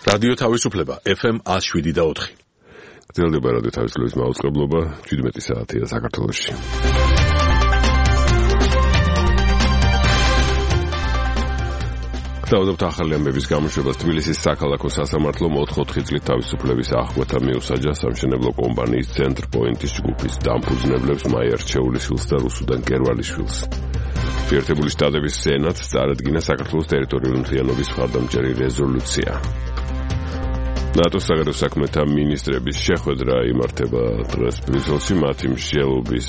რადიო თავისუფლება FM 107.4. გრძელდება რადიო თავისუფლების მაუწყებლობა 17 საათია საქართველოში. დავდობთ ახალი ამბების გამოშვებას. თბილისის საქალაქო სასამართლომ 4 წლის თავისუფლების აღკვეთა მიუსაჯა სამშენებლო კომპანიის ცენტრ პოინტის ჯგუფის დამფუძნებლებს მაია რჩეულიშვილს და რუსუდან გერვალიშვილს. შეერთებული შტატების სენატს წარადგინა საქართველოს ტერიტორიული მთლიანობის მხარდამჭერი რეზოლუცია. ნატოს საგარეო საქმეთა მინისტრების შეხვედრა იმართება დღეს ბრიუსელში. მათი მსჯელობის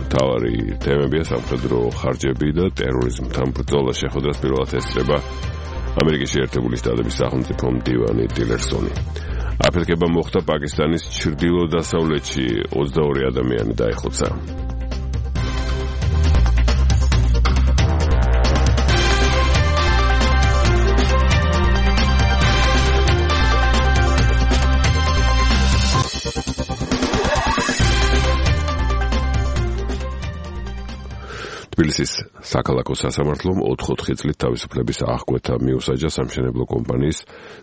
მთავარი თემებია სამხედრო ხარჯები და ტერორიზმთან ბრძოლა. შეხვედრას პირველად ესწრება ამერიკის შეერთებული შტატების სახელმწიფო მდივანი ტილერსონი. აფეთქება მოხდა პაკისტანის ჩრდილო-დასავლეთში 22 ადამიანი დაიხოცა. თბილისის საქალაქო სასამართლომ 4 წლის თავისუფლების აღკვეთა მიუსაჯა სამშენებლო კომპანიის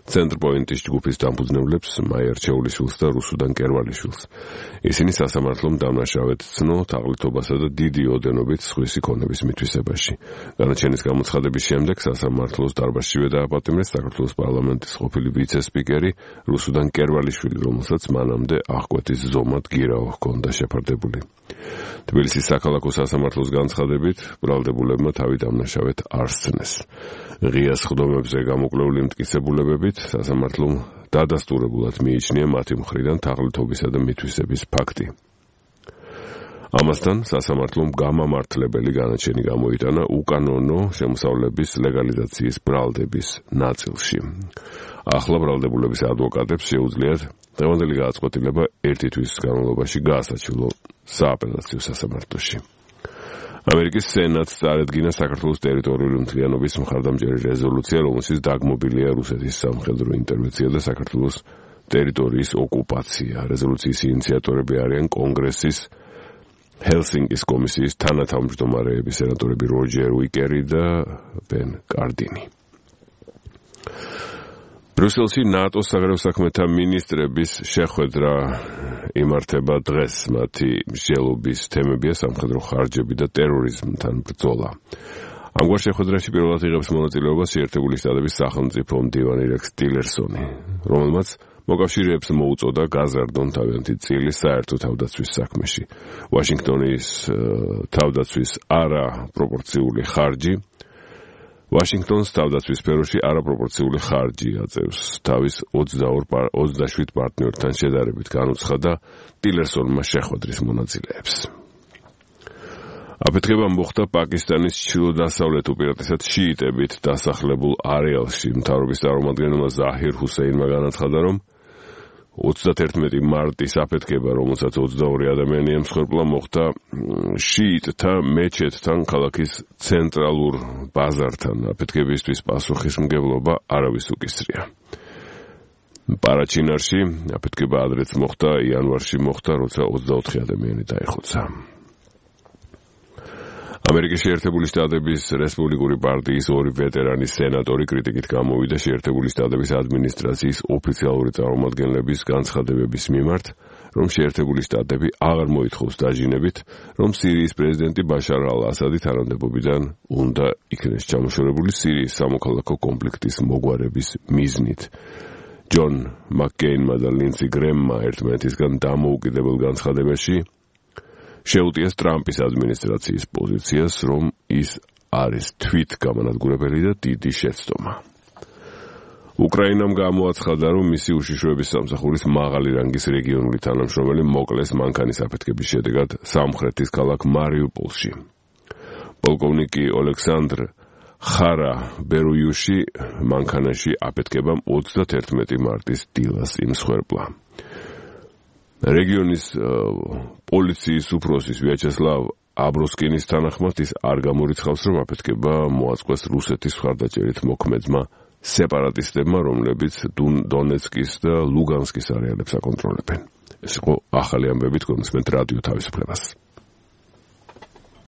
ცენტრ პოინტის ჯგუფის დამფუძნებლებს მაია რჩეულიშვილს და რუსუდან გერვალიშვილს. ისინი სასამართლომ დამნაშავედ ცნო თაღლითობასა და დიდი ოდენობით სხვისი ქონების მითვისებაში. განაჩენის გამოცხადების შემდეგ სასამართლოს დარბაზშივე დააპატიმრეს საქართველოს პარლამენტის ყოფილი ვიცე-სპიკერი რუსუდან გერვალიშვილი, რომელსაც მანამდე აღკვეთის ზომად გირაო ჰქონდა შეფარდებული. თბილისის საქალაქო სასამართლოს განცხადებით ბრალდებულებმა თავი დამნაშავედ არ სცნეს. ღია სხდომებზე გამოკვლეული მტკიცებულებებით სასამართლომ დადასტურებულად მიიჩნია მათი მხრიდან თაღლითობისა და მითვისების ფაქტი. ამასთან სასამართლომ გამამართლებელი განაჩენი გამოიტანა უკანონო შემოსავლების ლეგალიზაციის ბრალდების ნაწილში. ახლა ბრალდებულების ადვოკატებს შეუძლიათ დღევანდელი გადაწყვეტილება 1 თვის განმავლობაში გაასაჩივლო სააპელაციო სასამართლოში. ამერიკის სენატს წარადგინა საქართველოს ტერიტორიული მთლიანობის მხარდამჭერი რეზოლუცია, რომელშიც დაგმობილია რუსეთის სამხედრო ინტერვენცია და საქართველოს ტერიტორიის ოკუპაცია. რეზოლუციის ინიციატორები არიან კონგრესის ჰელსინკის კომისიის თანათავმჯდომარეები სენატორები როჯერ უიკერი და ბენ კარდინი. ბრიუსელში ნატოს საგარეო საქმეთა მინისტრების შეხვედრა იმართება დღეს. მათი მსჯელობის თემებია სამხედრო ხარჯები და ტერორიზმთან ბრძოლა. ამგვარ შეხვედრაში პირველად იღებს მონაწილეობას შეერთებული შტატების სახელმწიფო მდივანი რექს ტილერსონი, რომელმაც მოკავშირეებს მოუწოდა გაზარდონ თავიანთი წილი საერთო თავდაცვის საქმეში. ვაშინგტონის თავდაცვის არაპროპორციული ხარჯი ვაშინგტონს თავდაცვის სფეროში არაპროპორციული ხარჯი აწევს თავის 27 პარტნიორთან შედარებით, განუცხადა ტილერსონმა შეხვედრის მონაწილეებს. აფეთქება მოხდა პაკისტანის ჩრდილო-დასავლეთ უპირატესად შიიტებით დასახლებულ არეალში. მთავრობის წარმომადგენელმა ზაჰირ ჰუსეინმა განაცხადა, რომ 31 მარტის აფეთქება, რომელსაც 22 ადამიანი ემსხვერპლა, მოხდა შიიტთა მეჩეთთან ქალაქის ცენტრალურ ბაზართან. აფეთქებისთვის პასუხისმგებლობა არავის უკისრია. პარაჩინარში აფეთქება ადრეც მოხდა, იანვარში მოხდა, როცა 24 ადამიანი დაიხოცა. ამერიკის შეერთებული შტატების რესპუბლიკური პარტიის 2 ვეტერანი სენატორი კრიტიკით გამოვიდა შეერთებული შტატების ადმინისტრაციის ოფიციალური წარმომადგენლების განცხადებების მიმართ, რომ შეერთებული შტატები აღარ მოითხოვს დაჟინებით, რომ სირიის პრეზიდენტი ბაშარ ალ-ასადი თანამდებობიდან უნდა იქნეს ჩამოშორებული სირიის სამოქალაქო კონფლიქტის მოგვარების მიზნით. ჯონ მაკკეინმა და ლინდსი გრემმა ერთმანეთისგან დამოუკიდებელ განცხადებაში შეუტიეს ტრამპის ადმინისტრაციის პოზიციას, რომ ის არის თვითგამანადგურებელი და დიდი შეცდომა. უკრაინამ გამოაცხადა, რომ მისი უშიშროების სამსახურის მაღალი რანგის რეგიონული თანამშრომელი მოკლეს მანქანის აფეთქების შედეგად სამხრეთის ქალაქ მარიუპოლში. პოლკოვნიკი ოლექსანდრ ხარა ბერუიუში მანქანაში აფეთქებამ 31 მარტის დილას იმსხვერპლა. რეგიონის პოლიციის უფროსის ვიაჩესლავ აბროსკინის თანახმად ის არ გამორიცხავს, რომ აფეთქება მოაწყვეს რუსეთის მხარდაჭერით მოქმედმა სეპარატისტებმა, რომლებიც დონეცკის და ლუგანსკის არეალებს აკონტროლებენ. ეს იყო ახალი ამბები, თქვენ მოსმენთ რადიო თავისუფლებას.